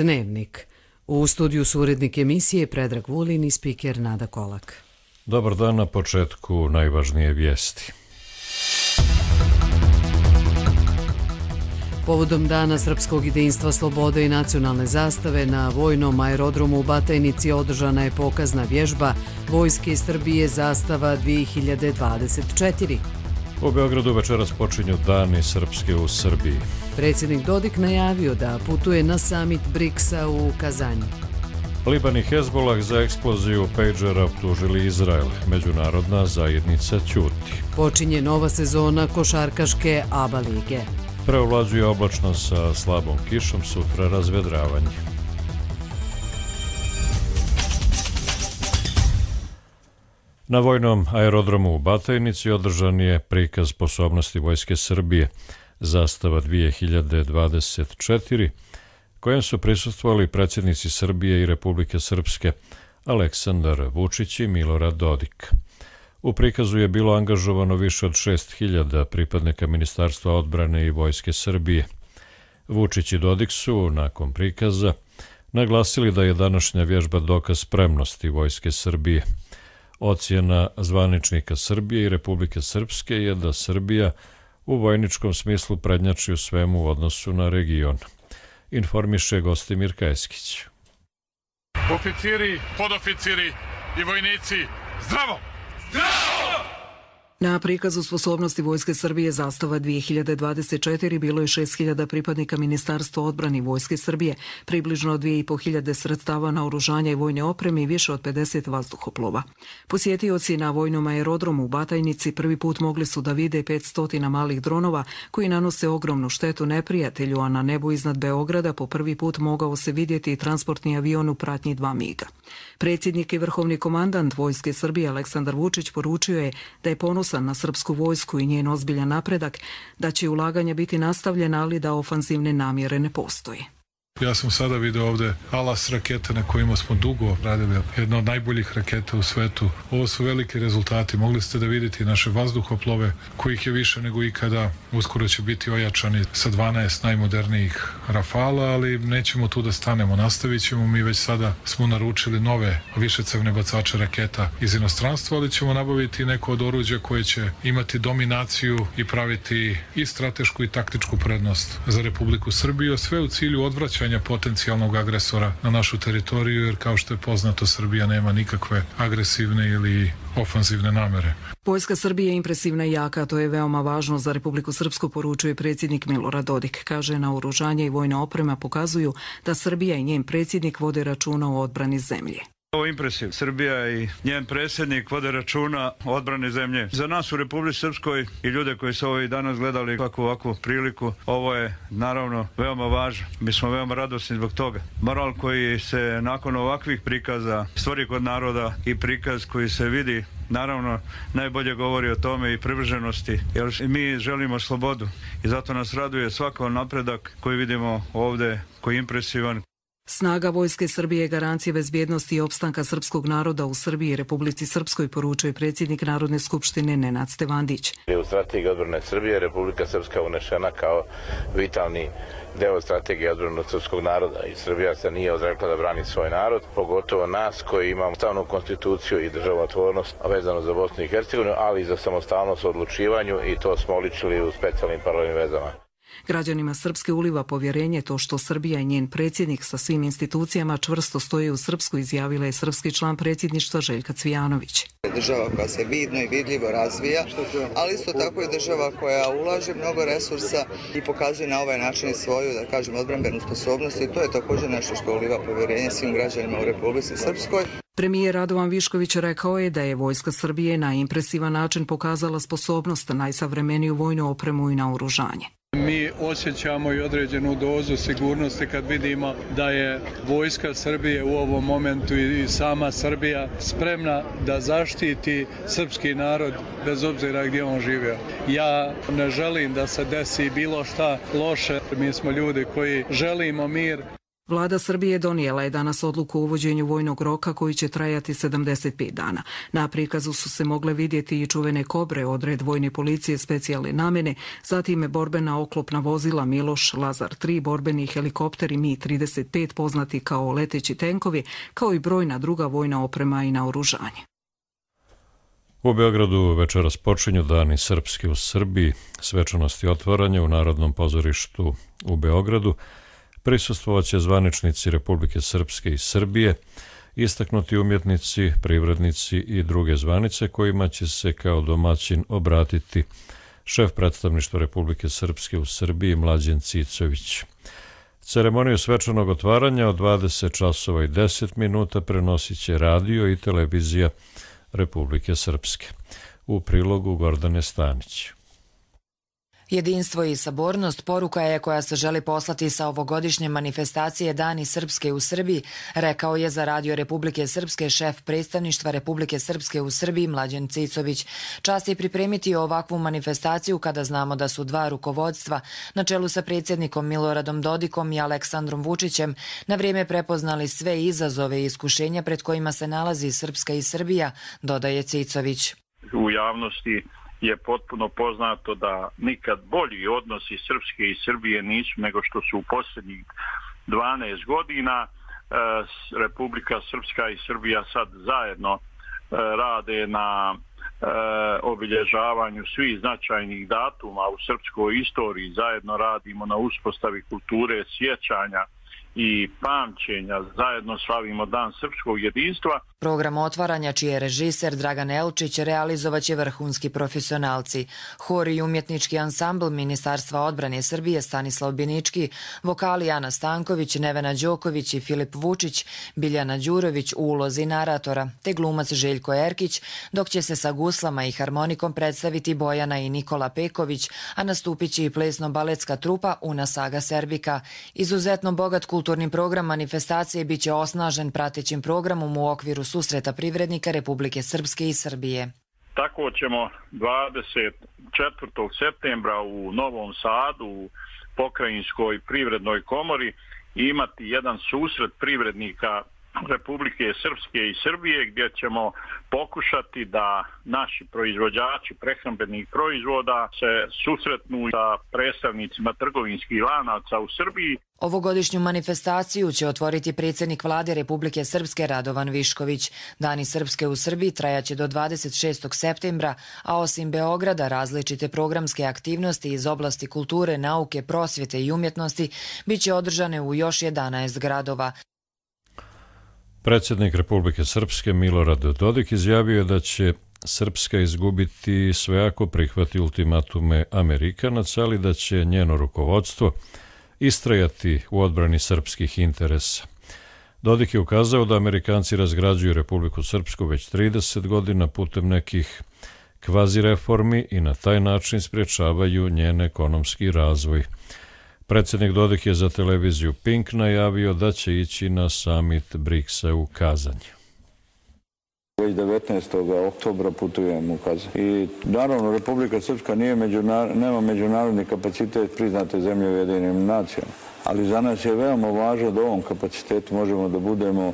Dnevnik. U studiju su urednik emisije Predrag Vulin i spiker Nada Kolak. Dobar dan, na početku najvažnije vijesti. Povodom Dana srpskog jedinstva, slobode i nacionalne zastave na vojnom aerodromu u Batajnici održana je pokazna vježba Vojske Srbije Zastava 2024. U Beogradu večeras počinju Dani Srpske u Srbiji. Predsjednik Dodik najavio da putuje na samit BRICS-a u Kazanju. Liban i Hezbollah za eksploziju pejđera optužili Izrael. Međunarodna zajednica ćuti. Počinje nova sezona košarkaške ABA lige. Preovlađuje oblačno sa slabom kišom, sutra razvedravanje. Na vojnom aerodromu u Batajnici održan je prikaz sposobnosti Vojske Srbije Zastava 2024, kojem su prisustvovali predsjednici Srbije i Republike Srpske Aleksandar Vučić i Milorad Dodik. U prikazu je bilo angažovano više od 6.000 pripadnika Ministarstva odbrane i Vojske Srbije. Vučić i Dodik su, nakon prikaza, naglasili da je današnja vježba dokaz spremnosti Vojske Srbije. Ocjena zvaničnika Srbije i Republike Srpske je da Srbija u vojničkom smislu prednjači u svemu u odnosu na region. Informiše Gostimir Kajeskić. Oficiri, podoficiri i vojnici, zdravo! Zdravo! Na prikazu sposobnosti Vojske Srbije Zastava 2024 bilo je 6.000 pripadnika Ministarstva odbrane i Vojske Srbije, približno 2.500 sredstava naoružanja i vojne opreme i više od 50 vazduhoplova. Posjetioci na vojnom aerodromu u Batajnici prvi put mogli su da vide 500 malih dronova koji nanose ogromnu štetu neprijatelju, a na nebu iznad Beograda po prvi put mogao se vidjeti i transportni avion u pratnji 2 miga. Predsjednik i vrhovni komandant Vojske Srbije Aleksandar Vučić poručio je da je ponosan na srpsku vojsku i njen ozbiljan napredak, da će ulaganja biti nastavljena, ali da ofanzivne namjere ne postoji. Ja sam sada vidio ovde Alas rakete na kojima smo dugo radili, jedna od najboljih raketa u svetu. Ovo su veliki rezultati. Mogli ste da vidite naše vazduhoplove, kojih je više nego ikada. Uskoro će biti ojačani sa 12 najmodernijih Rafala, ali nećemo tu da stanemo. Nastavit ćemo. Mi već sada smo naručili nove višecevne bacače raketa iz inostranstva, ali ćemo nabaviti neko od oruđa koje će imati dominaciju i praviti i stratešku i taktičku prednost za Republiku Srbiju, sve u cilju odvraćanja potencijalnog agresora na našu teritoriju, jer kao što je poznato, Srbija nema nikakve agresivne ili ofanzivne namere. Vojska Srbije je impresivna i jaka, to je veoma važno za Republiku Srpsku, poručuje predsjednik Milorad Dodik. Kaže, naoružanje i vojna oprema pokazuju da Srbija i njen predsjednik vode računa o odbrani zemlje. Ovo je impresiv. Srbija i njen predsjednik vode računa o odbrani zemlje. Za nas u Republici Srpskoj i ljude koji su ovo i danas gledali ovakvu priliku, ovo je naravno veoma važno. Mi smo veoma radosni zbog toga. Moral koji se nakon ovakvih prikaza stvori kod naroda i prikaz koji se vidi, naravno najbolje govori o tome i privrženosti, jer mi želimo slobodu i zato nas raduje svaki napredak koji vidimo ovdje, koji je impresivan. Snaga Vojske Srbije je garancija bezbjednosti i opstanka srpskog naroda u Srbiji i Republici Srpskoj, poručuje predsjednik Narodne skupštine Nenad Stevandić. U strategiji odbrane Srbije Republika Srpska unešena kao vitalni deo strategije odbrane srpskog naroda i Srbija se nije odrekla da brani svoj narod, pogotovo nas koji imamo ustavnu konstituciju i državotvornost vezano za Bosnu i Hercegovinu, ali i za samostalnost u odlučivanju, i to smo oličili u specijalnim paralelnim vezama. Građanima Srpske uliva povjerenje to što Srbija i njen predsjednik sa svim institucijama čvrsto stoje u Srpsku, izjavila je srpski član predsjedništva Željka Cvijanović. Država koja se vidno i vidljivo razvija, ali isto tako i država koja ulaže mnogo resursa i pokazuje na ovaj način svoju, da kažem, odbrambenu sposobnost, i to je također nešto što uliva povjerenje svim građanima u Republici Srpskoj. Premijer Radovan Višković rekao je da je Vojska Srbije na impresivan način pokazala sposobnost, najsavremeniju vojnu opremu i naoružanje. Mi osjećamo i određenu dozu sigurnosti kad vidimo da je Vojska Srbije u ovom momentu i sama Srbija spremna da zaštiti srpski narod bez obzira gdje on živio. Ja ne želim da se desi bilo šta loše. Mi smo ljudi koji želimo mir. Vlada Srbije donijela je danas odluku o uvođenju vojnog roka koji će trajati 75 dana. Na prikazu su se mogle vidjeti i čuvene Kobre, odred vojne policije specijalne namjene, zatim borbena oklopna vozila Miloš, Lazar 3, borbeni helikopteri Mi-35 poznati kao leteći tenkovi, kao i brojna druga vojna oprema i naoružanje. U Beogradu večeras počinju Dani srpski u Srbiji, svečanosti otvaranja u Narodnom pozorištu u Beogradu. Prisustvovaće zvaničnici Republike Srpske i Srbije, istaknuti umjetnici, privrednici i druge zvanice kojima će se kao domaćin obratiti šef predstavništva Republike Srpske u Srbiji Mlađen Cicović. Ceremoniju svečanog otvaranja od 20 časova i 10 minuta prenosit će radio i televizija Republike Srpske. U prilogu Gordane Stanić. Jedinstvo i sabornost poruka je koja se želi poslati sa ovogodišnje manifestacije Dani srpske u Srbiji, rekao je za Radio Republike Srpske šef predstavništva Republike Srpske u Srbiji Mlađen Cicović. Čast je pripremiti ovakvu manifestaciju kada znamo da su dva rukovodstva na čelu sa predsjednikom Miloradom Dodikom i Aleksandrom Vučićem na vrijeme prepoznali sve izazove i iskušenja pred kojima se nalazi Srpska i Srbija, dodaje Cicović. U javnosti je potpuno poznato da nikad bolji odnosi Srpske i Srbije nisu nego što su u posljednjih 12 godina. Republika Srpska i Srbija sad zajedno rade na obilježavanju svih značajnih datuma u srpskoj istoriji. Zajedno radimo na uspostavi kulture sjećanja i pamćenja, zajedno slavimo Dan srpskog jedinstva. Program otvaranja, čiji je režiser Dragan Elčić, realizovaće vrhunski profesionalci. Hor i umjetnički ansambl Ministarstva odbrane Srbije Stanislav Binički, vokali Ana Stanković, Nevena Đoković i Filip Vučić, Biljana Đurović u ulozi naratora, te glumac Željko Erkić, dok će se sa guslama i harmonikom predstaviti Bojana i Nikola Peković, a nastupit će i plesno-baletska trupa Una Saga Serbika. Izuzetno bogat kulturni program manifestacije bit će osnažen pratećim programom u okviru susreta privrednika Republike Srpske i Srbije. Tako ćemo 24. septembra u Novom Sadu, u Pokrajinskoj privrednoj komori, imati jedan susret privrednika Republike Srpske i Srbije gdje ćemo pokušati da naši proizvođači prehrambenih proizvoda se susretnu sa predstavnicima trgovinskih lanaca u Srbiji. Ovogodišnju manifestaciju će otvoriti predsjednik vlade Republike Srpske Radovan Višković. Dani srpske u Srbiji trajaće do 26. septembra, a osim Beograda različite programske aktivnosti iz oblasti kulture, nauke, prosvjete i umjetnosti bit će održane u još 11 gradova. Predsjednik Republike Srpske Milorad Dodik izjavio je da će Srpska izgubiti sve ako prihvati ultimatume Amerikanaca, ali da će njeno rukovodstvo istrajati u odbrani srpskih interesa. Dodik je ukazao da Amerikanci razgrađuju Republiku Srpsku već 30 godina putem nekih kvazi reformi i na taj način sprječavaju njen ekonomski razvoj. Predsjednik Dodik je za televiziju Pink najavio da će ići na summit BRICS-a u Kazanj. Već 19. oktobra putujem u Kazanj. I naravno Republika Srpska nema međunarodni kapacitet priznate zemlje Ujedinjenim nacijama. Ali za nas je veoma važno da u ovom kapacitetu možemo da budemo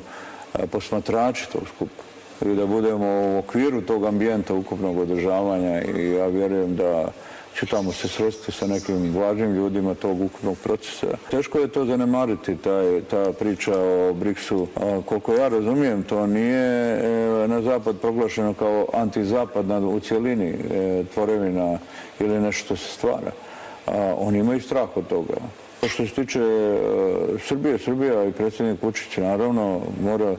posmatrači tog skupa i da budemo u okviru tog ambijenta ukupnog održavanja i ja vjerujem da ću tamo se sresti sa nekim važnim ljudima tog ukupnog procesa. Teško je to zanemariti, ta priča o BRICS-u. Koliko ja razumijem, to nije na zapad proglašeno kao antizapadna u cjelini tvorevina ili nešto što se stvara. Oni imaju strah od toga. Što se tiče Srbija i predsjednik Vučić naravno mora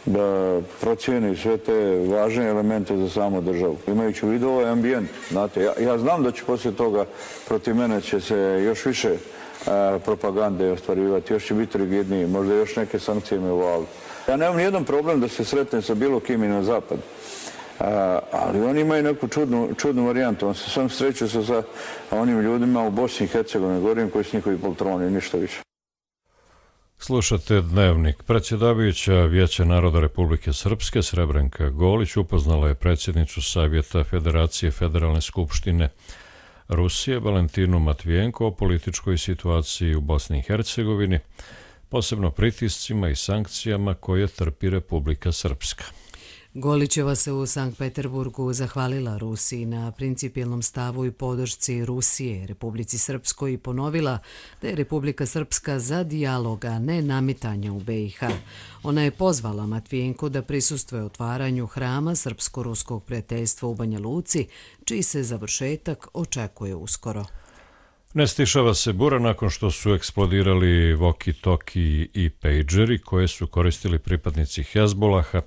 da procijeni sve te važne elemente za samu državu. Imajući u vidu ovaj ambijent, znate, ja znam da će poslije toga protiv mene će se još više propagande ostvarivati, još će biti rigidniji, možda još neke sankcije me uvaliti. Ja nemam nijedan problem da se sretnem sa bilo kim i na zapad, ali oni imaju neku čudnu varijantu. On se sam sreću sa onim ljudima u Bosni i Hercegovini, govorim koji su njihovi poltroni, ništa više. Slušate Dnevnik. Predsjedavajuća Vijeća naroda Republike Srpske Srebrenka Golić upoznala je predsjednicu Savjeta Federacije Federalne skupštine Rusije Valentinu Matvijenko o političkoj situaciji u Bosni i Hercegovini, posebno pritiscima i sankcijama koje trpi Republika Srpska. Golićeva se u Sankt Peterburgu zahvalila Rusiji na principijelnom stavu i podršci Rusije Republici Srpskoj i ponovila da je Republika Srpska za dijalog, a ne nametanje u BiH. Ona je pozvala Matvijenko da prisustvuje otvaranju hrama Srpsko-ruskog prijateljstva u Banja Luci, čiji se završetak očekuje uskoro. Ne stišava se bura nakon što su eksplodirali walkie-talkie i pageri koje su koristili pripadnici Hezbolaha,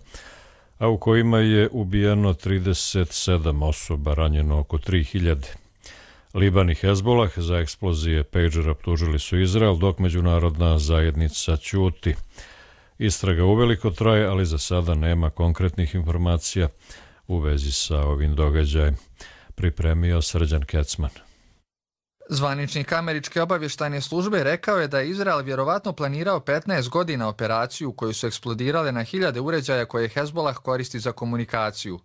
a u kojima je ubijeno 37 osoba, ranjeno oko 3000. Liban i Hezbolah za eksplozije pagera optužili su Izrael, dok međunarodna zajednica ćuti. Istraga uveliko traje, ali za sada nema konkretnih informacija u vezi sa ovim događajem. Pripremio Srđan Kecman. Zvaničnik američke obavještajne službe rekao je da je Izrael vjerovatno planirao 15 godina operaciju u kojoj su eksplodirale na 1000 uređaja koje Hezbolah koristi za komunikaciju.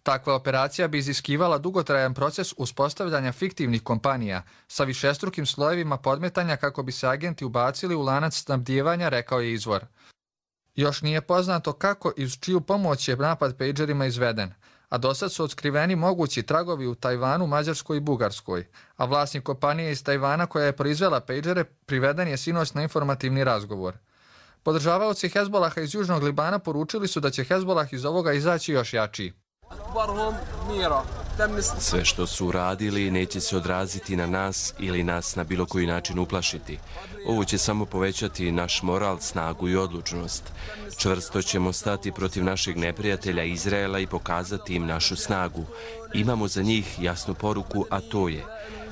Takva operacija bi iziskivala dugotrajan proces uspostavljanja fiktivnih kompanija sa višestrukim slojevima podmetanja kako bi se agenti ubacili u lanac snabdijevanja, rekao je izvor. Još nije poznato kako i uz čiju pomoć je napad pagerima izveden, a dosad su otkriveni mogući tragovi u Tajvanu, Mađarskoj i Bugarskoj, a vlasnik kompanije iz Tajvana koja je proizvela pagere priveden je sinoć na informativni razgovor. Podržavaoci Hezbolaha iz Južnog Libana poručili su da će Hezbolah iz ovoga izaći još jačiji. Sve što su uradili neće se odraziti na nas ili nas na bilo koji način uplašiti. Ovo će samo povećati naš moral, snagu i odlučnost. Čvrsto ćemo stati protiv našeg neprijatelja Izraela i pokazati im našu snagu. Imamo za njih jasnu poruku, a to je: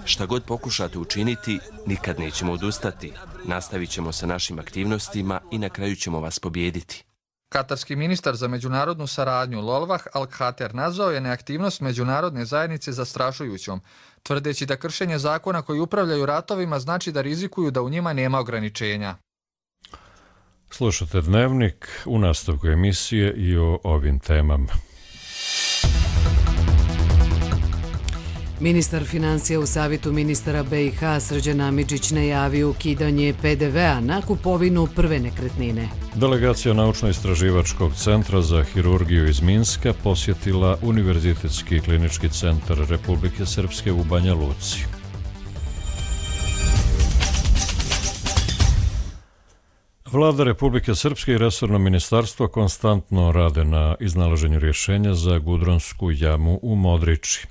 šta god pokušate učiniti, nikad nećemo odustati. Nastavit ćemo sa našim aktivnostima i na kraju ćemo vas pobijediti. Katarski ministar za međunarodnu saradnju Lolvah Al-Khater nazvao je neaktivnost međunarodne zajednice zastrašujućom, tvrdeći da kršenje zakona koji upravljaju ratovima znači da rizikuju da u njima nema ograničenja. Slušate Dnevnik, u nastavku emisije i o ovim temama. Ministar financija u Savjetu ministara BiH Srđan Amidžić najavio ukidanje PDV-a na kupovinu prve nekretnine. Delegacija Naučno-istraživačkog centra za hirurgiju iz Minska posjetila Univerzitetski klinički centar Republike Srpske u Banja Luci. Vlada Republike Srpske i resorno ministarstvo konstantno rade na iznalaženju rješenja za Gudronsku jamu u Modriči,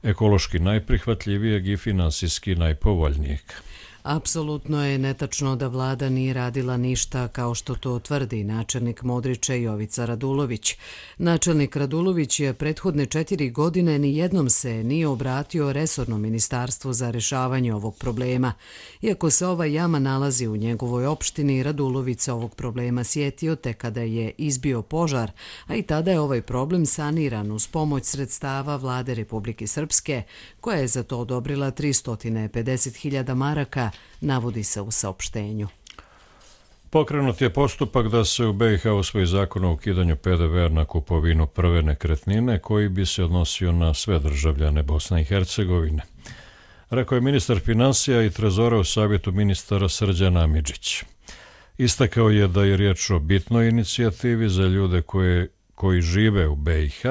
ekološki najprihvatljivijeg i finansijski najpovoljnijeg. Apsolutno je netačno da vlada nije radila ništa, kao što to tvrdi načelnik Modriča Jovica Radulović. Načelnik Radulović je prethodne 4 godine nijednom se nije obratio resornom ministarstvu za rješavanje ovog problema. Iako se ova jama nalazi u njegovoj opštini, Radulović se ovog problema sjetio tek kada je izbio požar, a i tada je ovaj problem saniran uz pomoć sredstava vlade Republike Srpske, koja je za to odobrila 350.000 maraka, navodi se u saopštenju. Pokrenut je postupak da se u BiH usvoji zakon o ukidanju PDV-a na kupovinu prve nekretnine, koji bi se odnosio na sve državljane Bosne i Hercegovine. Rekao je ministar financija i trezora u Savjetu ministara Srđan Amidžić. Istakao je da je riječ o bitnoj inicijativi za ljude koji žive u BiH,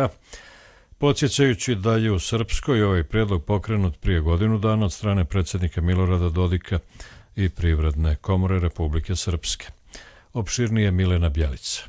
podsjećajući da je u Srpskoj ovaj prijedlog pokrenut prije godinu dana od strane predsjednika Milorada Dodika i Privredne komore Republike Srpske. Opširnije Milena Bjelica.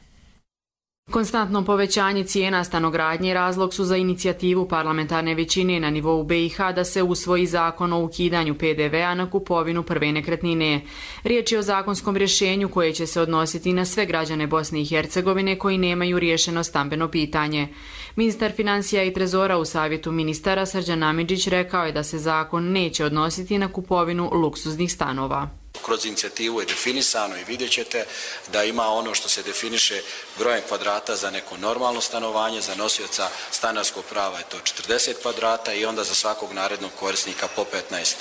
Konstantno povećanje cijena stanogradnje razlog su za inicijativu parlamentarne većine na nivou BiH da se usvoji zakon o ukidanju PDV-a na kupovinu prve nekretnine. Riječ je o zakonskom rješenju koje će se odnositi na sve građane Bosne i Hercegovine koji nemaju riješeno stambeno pitanje. Ministar financija i trezora u Savjetu ministara Srđan Amidžić rekao je da se zakon neće odnositi na kupovinu luksuznih stanova. Kroz inicijativu je definisano i vidjet ćete da ima ono što se definiše brojem kvadrata za neko normalno stanovanje, za nosioca stanarskog prava je to 40 kvadrata i onda za svakog narednog korisnika po 15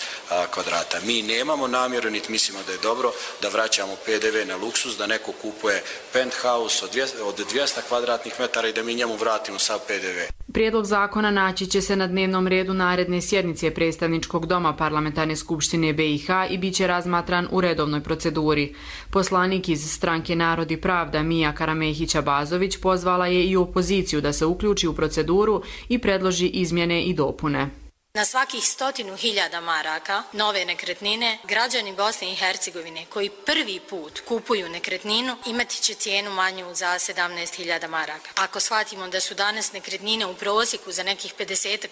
kvadrata. Mi nemamo namjeru, niti mislimo da je dobro da vraćamo PDV na luksuz, da neko kupuje penthouse od 200 kvadratnih metara i da mi njemu vratimo sav PDV. Prijedlog zakona naći će se na dnevnom redu naredne sjednice predstavničkog doma Parlamentarne skupštine BiH i bit će razmatran u redovnoj proceduri. Poslanik iz stranke Narod i pravda Mija Karamehića-Bazović pozvala je i opoziciju da se uključi u proceduru i predloži izmjene i dopune. Na svakih 100.000 maraka nove nekretnine građani Bosne i Hercegovine koji prvi put kupuju nekretninu imati će cijenu manju za 17.000 maraka. Ako shvatimo da su danas nekretnine u prosjeku za nekih 50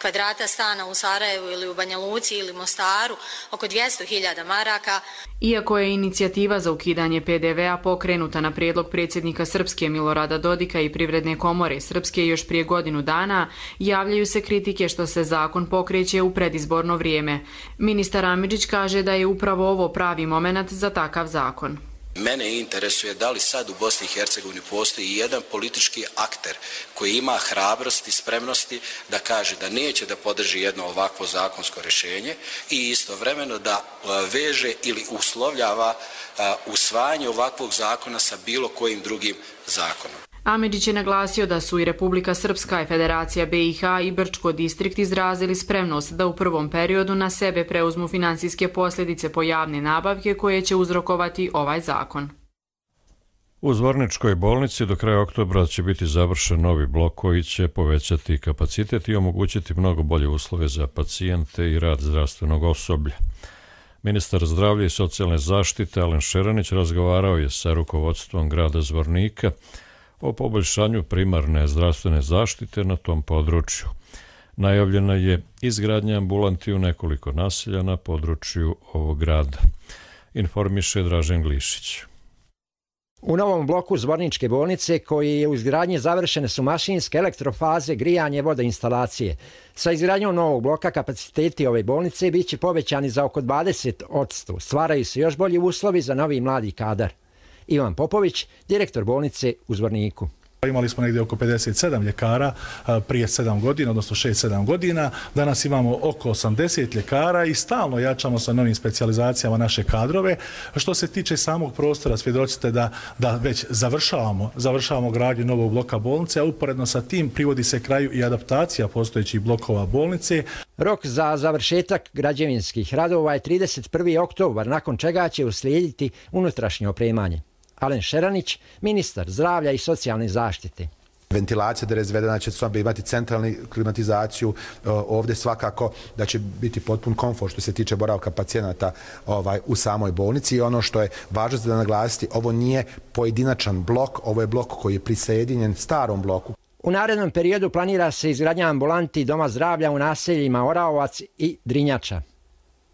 kvadrata stana u Sarajevu ili u Banja Luci ili Mostaru oko 200.000 maraka. Iako je inicijativa za ukidanje PDV-a pokrenuta na prijedlog predsjednika Srpske Milorada Dodika i Privredne komore Srpske još prije godinu dana, javljaju se kritike što se zakon pokreće u predizborno vrijeme. Ministar Amidžić kaže da je upravo ovo pravi moment za takav zakon. Mene interesuje da li sad u Bosni i Hercegovini postoji jedan politički akter koji ima hrabrosti, spremnosti da kaže da neće da podrži jedno ovakvo zakonsko rješenje i istovremeno da veže ili uslovljava usvajanje ovakvog zakona sa bilo kojim drugim zakonom. Amidžić je naglasio da su i Republika Srpska i Federacija BiH i Brčko distrikt izrazili spremnost da u prvom periodu na sebe preuzmu finansijske posljedice po javne nabavke koje će uzrokovati ovaj zakon. U Zvorničkoj bolnici do kraja oktobra će biti završen novi blok koji će povećati kapacitet i omogućiti mnogo bolje uslove za pacijente i rad zdravstvenog osoblja. Ministar zdravlja i socijalne zaštite Alen Šeranić razgovarao je sa rukovodstvom grada Zvornika o poboljšanju primarne zdravstvene zaštite na tom području. Najavljena je izgradnja ambulanti u nekoliko naselja na području ovog grada. Informiše Dražen Glišić. U novom bloku Zvorničke bolnice, koji je u izgradnji završene su mašinske elektrofaze, grijanje, vodoinstalacije. Sa izgradnjom novog bloka kapaciteti ove bolnice bit će povećani za oko 20%. Stvaraju se još bolji uslovi za novi mladi kadar. Ivan Popović, direktor bolnice u Zvorniku. Imali smo negdje oko 57 ljekara prije 7 godina, odnosno 6-7 godina. Danas imamo oko 80 ljekara i stalno jačamo sa novim specijalizacijama naše kadrove. Što se tiče samog prostora, svjedočite da već završavamo gradnju novog bloka bolnice, a uporedno sa tim privodi se kraju i adaptacija postojećih blokova bolnice. Rok za završetak građevinskih radova je 31. oktobar, nakon čega će uslijediti unutrašnje opremanje. Alen Šeranić, ministar zdravlja i socijalne zaštite. Ventilacija da je razvedena, će imati centralnu klimatizaciju, ovdje svakako da će biti potpun komfort što se tiče boravka pacijenata u samoj bolnici i ono što je važno da naglasiti, ovo nije pojedinačan blok, ovo je blok koji je prisjedinjen starom bloku. U narednom periodu planira se izgradnja ambulanti Doma zdravlja u naseljima Oraovac i Drinjača.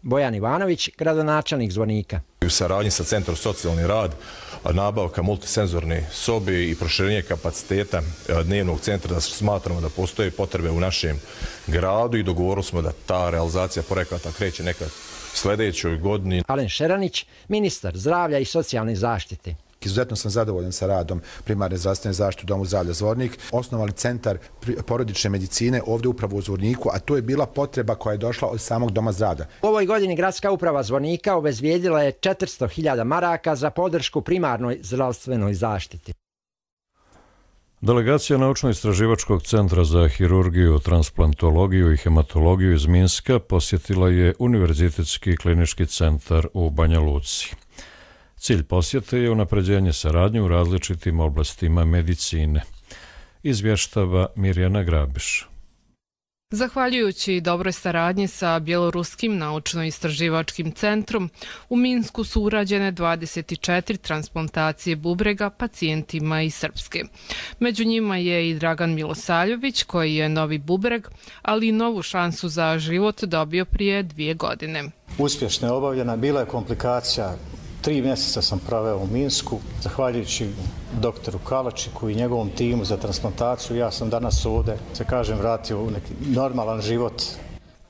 Bojan Ivanović, gradonačelnik Zvornika. U saradnji sa Centrom socijalni rad, nabavka multisenzorne sobe i proširenje kapaciteta dnevnog centra, da smatramo da postoje potrebe u našem gradu i dogovorili smo da ta realizacija projekata kreće nekad sljedećoj godini. Alen Šeranić, ministar zdravlja i socijalne zaštite. Izuzetno sam zadovoljan sa radom primarne zdravstvene zaštite u Domu zdravlja Zvornik. Osnovali centar porodične medicine ovdje upravo u Zvorniku, a to je bila potreba koja je došla od samog Doma zdravlja. U ovoj godini gradska uprava Zvornika obezbijedila je 400.000 maraka za podršku primarnoj zdravstvenoj zaštiti. Delegacija Naučno-istraživačkog centra za hirurgiju, transplantologiju i hematologiju iz Minska posjetila je Univerzitetski klinički centar u Banja Luci. Cilj posjete je unapređenje saradnje u različitim oblastima medicine. Izvještava Mirjana Grabiš. Zahvaljujući dobroj saradnji sa Bjeloruskim naučno-istraživačkim centrom, u Minsku su urađene 24 transplantacije bubrega pacijentima iz Srpske. Među njima je i Dragan Milosaljović, koji je novi bubreg, ali i novu šansu za život dobio prije 2 godine. Uspješno je obavljena, bila je komplikacija. 3 mjeseca sam proveo u Minsku, zahvaljujući doktoru Kalačiku i njegovom timu za transplantaciju. Ja sam danas ovdje, vratio u neki normalan život.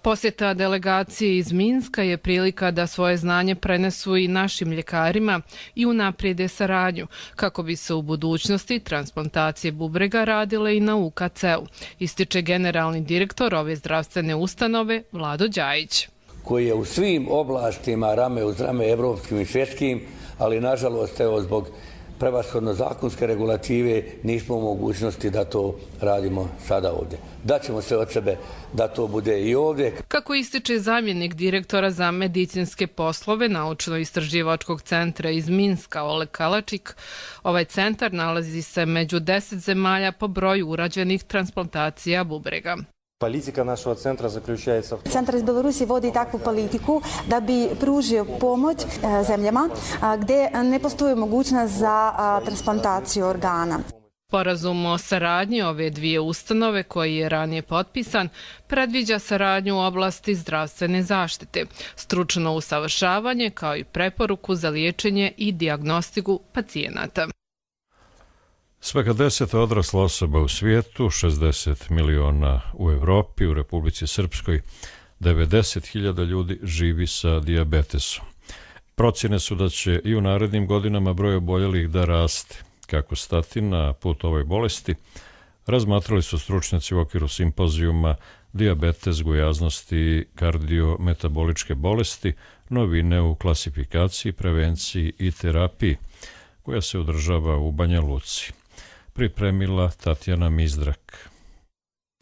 Posjeta delegacije iz Minska je prilika da svoje znanje prenesu i našim ljekarima i unaprijede saradnju, kako bi se u budućnosti transplantacije bubrega radile i na UKC-u, ističe generalni direktor ove zdravstvene ustanove Vlado Đajić, koji je u svim oblastima rame uz rame evropskim i svjetskim, ali nažalost zbog prevashodno zakonske regulative, nismo u mogućnosti da to radimo sada ovdje. Daćemo sve od sebe da to bude i ovdje. Kako ističe zamjenik direktora za medicinske poslove Naučno-istraživačkog centra iz Minska Oleg Kalačik, ovaj centar nalazi se među 10 zemalja po broju urađenih transplantacija bubrega. Politika našeg centra zaključujется. Centar iz Belorusije vodi takvu politiku da bi pružio pomoć zemljama gdje ne postoji mogućnost za transplantaciju organa. Sporazum o saradnji ove dvije ustanove, koji je ranije potpisan, predviđa saradnju u oblasti zdravstvene zaštite, stručno usavršavanje kao i preporuku za liječenje i dijagnostiku pacijenata. Svaka 10. odrasla osoba u svijetu, 60 miliona u Evropi, u Republici Srpskoj, 90.000 ljudi živi sa dijabetesom. Procjene su da će i u narednim godinama broj oboljelih da raste. Kako stati na put ovoj bolesti, razmatrali su stručnjaci u okviru simpozijuma Dijabetes, gojaznosti i kardiometaboličke bolesti, novine u klasifikaciji, prevenciji i terapiji, koja se održava u Banja Luci. Pripremila Tatjana Mizdrak.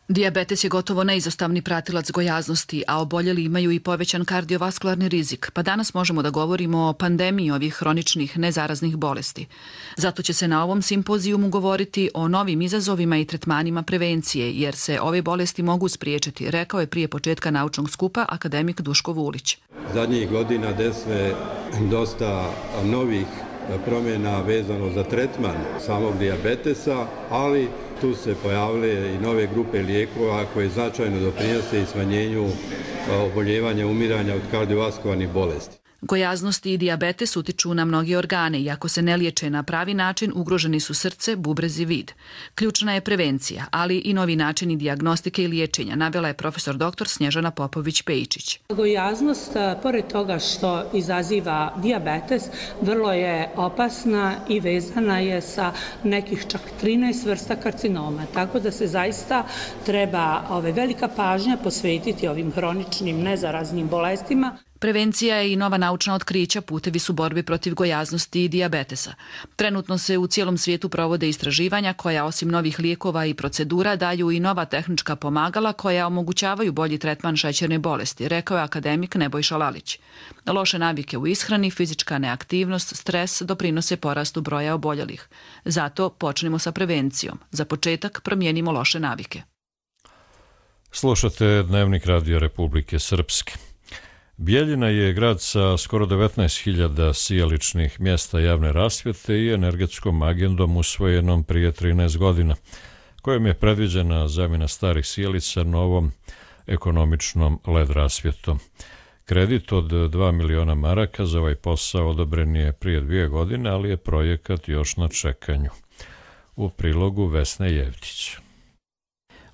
Dijabetes je gotovo neizostavni pratilac gojaznosti, a oboljeli imaju i povećan kardiovaskularni rizik, pa danas možemo da govorimo o pandemiji ovih hroničnih nezaraznih bolesti. Zato će se na ovom simpozijumu govoriti o novim izazovima i tretmanima prevencije, jer se ove bolesti mogu spriječiti, rekao je prije početka naučnog skupa akademik Duško Vulić. Zadnjih godina desve dosta novih promjena vezano za tretman samog dijabetesa, ali tu se pojavile i nove grupe lijekova koje značajno doprinose i smanjenju oboljevanja, umiranja od kardiovaskularnih bolesti. Gojaznost i dijabetes utiču na mnogi organe i ako se ne liječe na pravi način, ugroženi su srce, bubrez i vid. Ključna je prevencija, ali i novi načini dijagnostike i liječenja, navela je profesor dr. Snježana Popović-Pejčić. Gojaznost, pored toga što izaziva dijabetes, vrlo je opasna i vezana je sa nekih čak 13 vrsta karcinoma, tako da se zaista treba velika pažnja posvetiti ovim hroničnim nezaraznim bolestima. Prevencija je i nova naučna otkrića, putevi su borbe protiv gojaznosti i dijabetesa. Trenutno se u cijelom svijetu provode istraživanja koja osim novih lijekova i procedura daju i nova tehnička pomagala koja omogućavaju bolji tretman šećerne bolesti, rekao je akademik Nebojša Lalić. Loše navike u ishrani, fizička neaktivnost, stres doprinose porastu broja oboljelih. Zato počnemo sa prevencijom. Za početak promijenimo loše navike. Slušate Dnevnik Radio Republike Srpske. Bijeljina je grad sa skoro 19.000 sijaličnih mjesta javne rasvjete i energetskom agendom usvojenom prije 13 godina, kojom je predviđena zamjena starih sijalica novom ekonomičnom LED rasvjetom. Kredit od 2 miliona maraka za ovaj posao odobren je prije 2 godine, ali je projekat još na čekanju. U prilogu Vesne Jevtić.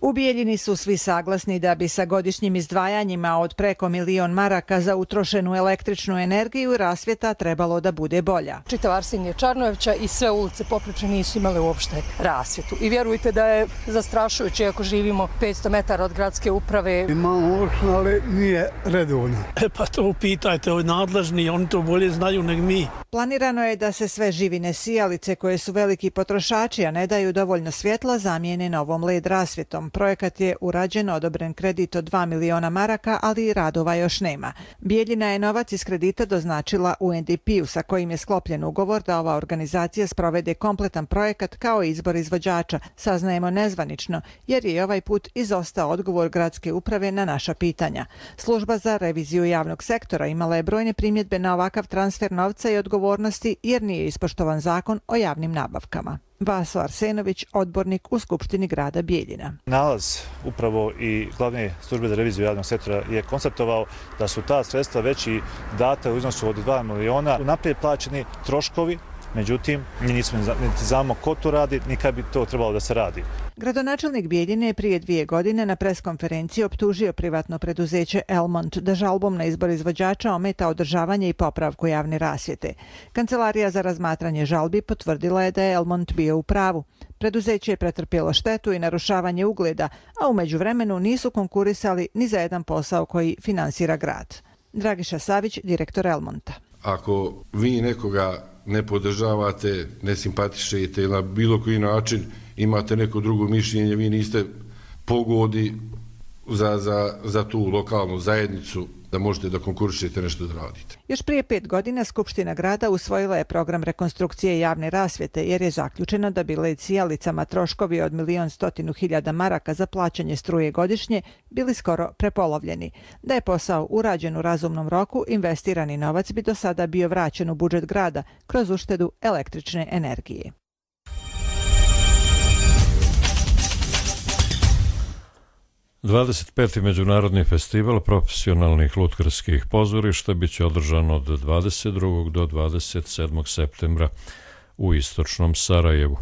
U Bijeljini su svi saglasni da bi sa godišnjim izdvajanjima od preko 1 milion maraka za utrošenu električnu energiju rasvjeta trebalo da bude bolja. Čitav Arsenije Čarnojevića i sve ulice popriče nisu imale uopšte rasvjetu. I vjerujte da je zastrašujuće ako živimo 500 metara od gradske uprave. Imamo uopšte, ali nije redovno. Pa to upitajte, ovi nadležni, oni to bolje znaju nego mi. Planirano je da se sve živine sijalice koje su veliki potrošači, a ne daju dovoljno svjetla, zamijene novom LED rasvjetom. Projekat je urađen, odobren kredit od 2 miliona maraka, ali radova još nema. Bijeljina je novac iz kredita doznačila UNDP-u sa kojim je sklopljen ugovor da ova organizacija sprovede kompletan projekat kao izbor izvođača, saznajemo nezvanično, jer je ovaj put izostao odgovor gradske uprave na naša pitanja. Služba za reviziju javnog sektora imala je brojne primjedbe na ovakav transfer novca i odgovornosti jer nije ispoštovan zakon o javnim nabavkama. Vaso Arsenović, odbornik u Skupštini grada Bijeljina. Nalaz upravo i glavne službe za reviziju javnog sektora je konstatovao da su ta sredstva već i data u iznosu od 2 miliona unaprijed plaćeni troškovi, međutim, mi nismo niti znamo ko to radi, ni kad bi to trebalo da se radi. Gradonačelnik Bijeljine je prije 2 godine na preskonferenciji optužio privatno preduzeće Elmont da žalbom na izbor izvođača ometa održavanje i popravku javne rasvjete. Kancelarija za razmatranje žalbi potvrdila je da je Elmont bio u pravu. Preduzeće je pretrpjelo štetu i narušavanje ugleda, a u međuvremenu nisu konkurisali ni za jedan posao koji finansira grad. Dragiša Savić, direktor Elmonta. ako vi nekoga ne podržavate, ne simpatišete ili na bilo koji način imate neko drugo mišljenje, vi niste pogodi za tu lokalnu zajednicu da možete da konkurišete nešto da radite. Još prije 5 godina Skupština grada usvojila je program rekonstrukcije javne rasvjete jer je zaključeno da bi led sijalicama troškovi od 1.100.000 maraka za plaćanje struje godišnje bili skoro prepolovljeni. Da je posao urađen u razumnom roku, investirani novac bi do sada bio vraćen u budžet grada kroz uštedu električne energije. – 25. Međunarodni festival profesionalnih lutkarskih pozorišta biće održan od 22. do 27. septembra u istočnom Sarajevu.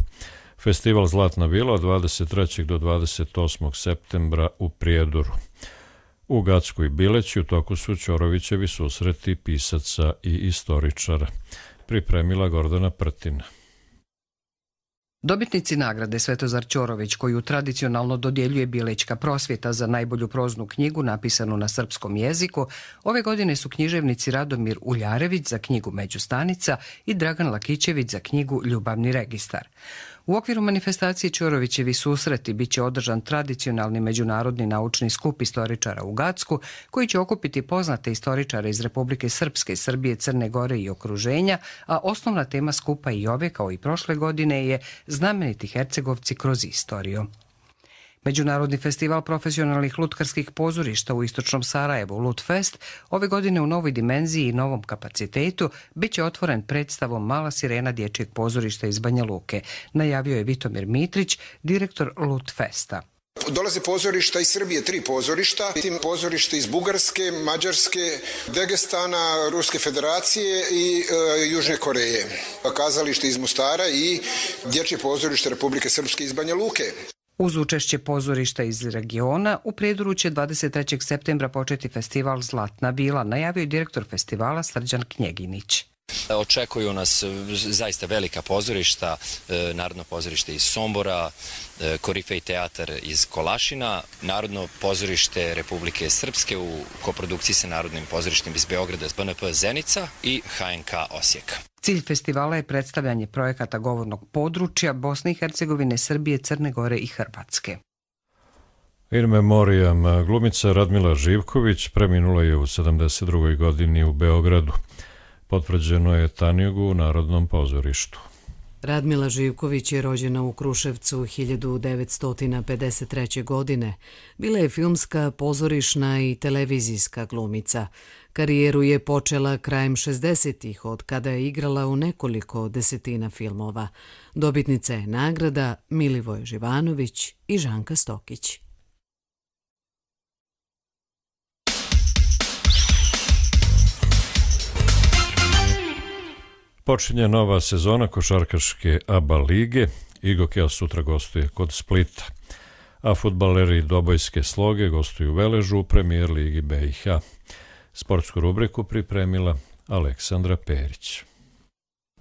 Festival Zlatna vila od 23. do 28. septembra u Prijedoru. U Gacku i Bileći u toku su Ćorovićevi susreti pisaca i istoričara. Pripremila Gordana Prtina. Dobitnici nagrade Svetozar Ćorović, koju tradicionalno dodjeljuje Bilećka prosvjeta za najbolju proznu knjigu napisanu na srpskom jeziku, ove godine su književnici Radomir Uljarević za knjigu Međustanica i Dragan Lakićević za knjigu Ljubavni registar. U okviru manifestacije Ćorovićevi susreti bit će održan tradicionalni međunarodni naučni skup istoričara u Gacku, koji će okupiti poznate istoričare iz Republike Srpske, Srbije, Crne Gore i okruženja, a osnovna tema skupa i ove, kao i prošle godine, je znameniti Hercegovci kroz istoriju. Međunarodni festival profesionalnih lutkarskih pozorišta u istočnom Sarajevu, Lutfest, ove godine u novoj dimenziji i novom kapacitetu bit će otvoren predstavom Mala sirena dječjeg pozorišta iz Banja Luke, najavio je Vitomir Mitrić, direktor Lutfesta. Dolaze pozorišta iz Srbije, 3 pozorišta, tim pozorište iz Bugarske, Mađarske, Dagestana, Ruske federacije i Južne Koreje. Kazalište iz Mostara i dječje pozorište Republike Srpske iz Banja Luke. Uz učešće pozorišta iz regiona, u Prijedoru će 23. septembra početi festival Zlatna vila, najavio je direktor festivala Srđan Knjeginić. Očekuju nas zaista velika pozorišta, Narodno pozorište iz Sombora, Korifej teatar iz Kolašina, Narodno pozorište Republike Srpske u koprodukciji sa Narodnim pozorištem iz Beograda, BNP Zenica i HNK Osijeka. Cilj festivala je predstavljanje projekata govornog područja Bosne i Hercegovine, Srbije, Crne Gore i Hrvatske. In memoriam, glumica Radmila Živković preminula je u 72. godini u Beogradu. Potvrđeno je Tanjugu u Narodnom pozorištu. Radmila Živković je rođena u Kruševcu 1953. godine. Bila je filmska, pozorišna i televizijska glumica. Karijeru je počela krajem 60-ih, od kada je igrala u nekoliko desetina filmova. Dobitnica je nagrada Milivoje Živanović i Žanka Stokić. Počinje nova sezona košarkaške ABA lige. Igokea sutra gostuje kod Splita, a fudbaleri Dobojske Sloge gostuju u Veležu u Premijer ligi BiH. Sportsku rubriku pripremila Aleksandra Perić.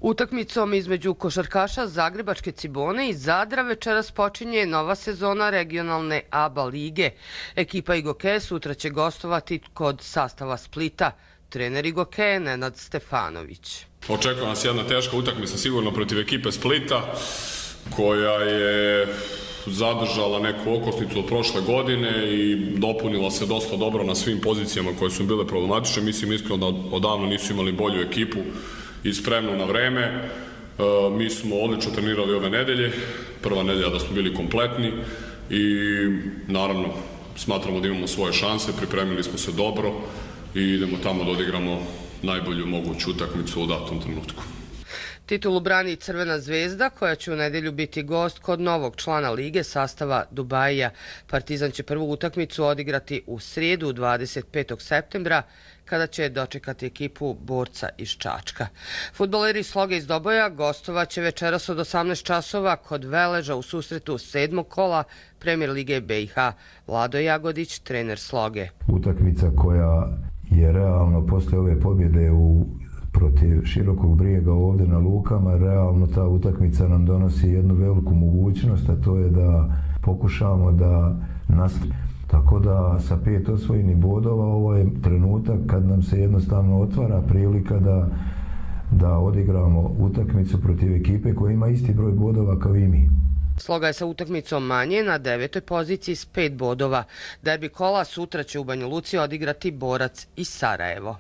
Utakmicom između košarkaša Zagrebačke Cibone i Zadra večeras počinje nova sezona regionalne ABA lige. Ekipa Igokea sutra će gostovati kod sastava Splita. Trener Igokea Nenad Stefanović. Očekuje nas jedna teška utakmica sigurno protiv ekipe Splita, koja je zadržala neku okosnicu od prošle godine i dopunila se dosta dobro na svim pozicijama koje su bile problematične. Mislim iskreno da odavno nisu imali bolju ekipu i spremnu na vreme. Mi smo odlično trenirali ove nedelje, prva nedelja da smo bili kompletni i naravno smatramo da imamo svoje šanse, pripremili smo se dobro i idemo tamo da odigramo najbolju moguću utakmicu u datom trenutku. Titulu brani Crvena zvezda, koja će u nedjelju biti gost kod novog člana lige sastava Dubaija. Partizan će prvu utakmicu odigrati u srijedu 25. septembra, kada će dočekati ekipu Borca iz Čačka. Fudbaleri Sloge iz Doboja gostovat će večeras od 18 časova kod Veleža u susretu 7. kola Premijer lige BiH. Vlado Jagodić, trener Sloge. Utakmica koja je realno posle ove pobjede protiv Širokog Brijega ovdje na Lukama, realno ta utakmica nam donosi jednu veliku mogućnost, a to je da pokušamo da Tako da sa 5 osvojenih bodova ovo je trenutak kad nam se jednostavno otvara prilika da odigramo utakmicu protiv ekipe koja ima isti broj bodova kao i mi. Sloga je sa utakmicom manje na 9. poziciji s 5 bodova. Derbi kola sutra će u Banja Luci odigrati Borac i Sarajevo.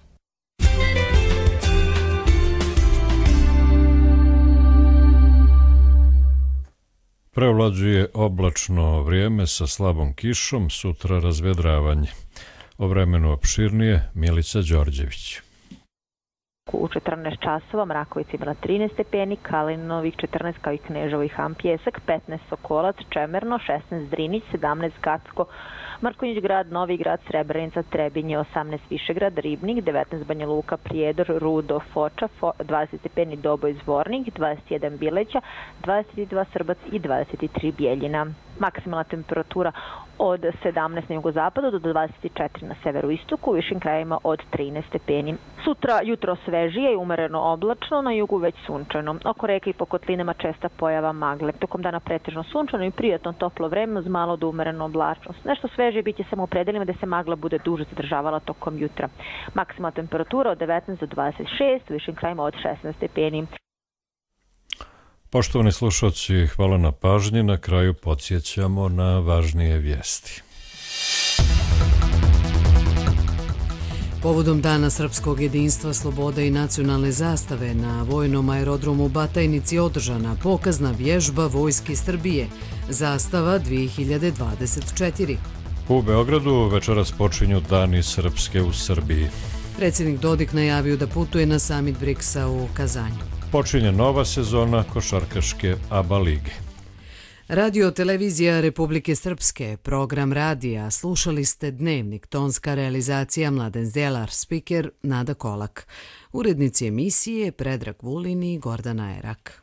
Prevlađuje oblačno vrijeme sa slabom kišom, sutra razvedravanje. O vremenu opširnije Milica Đorđević. U 14 časova Mrakovic imala 13 stepeni, Kalinovih 14 kao i Kneževo i Han Pjesak, 15 Sokolac, Čemerno, 16 Drinić, 17 Gacko, Markonjić grad, Novi grad, Srebrenica, Trebinje, 18 Višegrad, Ribnik, 19 Banja Luka, Prijedor, Rudo, Foča, 20 stepeni Doboj, Zvornik, 21 Bileća, 22 Srbac i 23 Bijeljina. Maksimalna temperatura od 17 na jugozapadu do 24 na severoistoku, u višim krajevima od 13 stepeni. Sutra jutro svežije i umereno oblačno, na jugu već sunčano. Oko reke i po kotlinama česta pojava magle. Tokom dana pretežno sunčano i prijatno toplo vreme uz malo do umerenu oblačnost. Nešto svežije biće samo u predelima da se magla bude duže zadržavala tokom jutra. Maksimalna temperatura od 19 do 26, u višim krajevima od 16 stepeni. Poštovani slušalci, hvala na pažnji. Na kraju podsjećamo na važnije vijesti. Povodom Dana srpskog jedinstva, slobode i nacionalne zastave na vojnom aerodromu Batajnici održana pokazna vježba Vojske Srbije, Zastava 2024. U Beogradu večeras počinju Dani srpske u Srbiji. Predsjednik Dodik najavio da putuje na samit BRICS-a u Kazanju. Počinje nova sezona košarkaške ABA lige. Radio televizija Republike Srpske, program radija, slušali ste Dnevnik, tonska realizacija Mladen Zdelar, spiker Nada Kolak. Urednici emisije Predrag Vulin i Gordana Erak.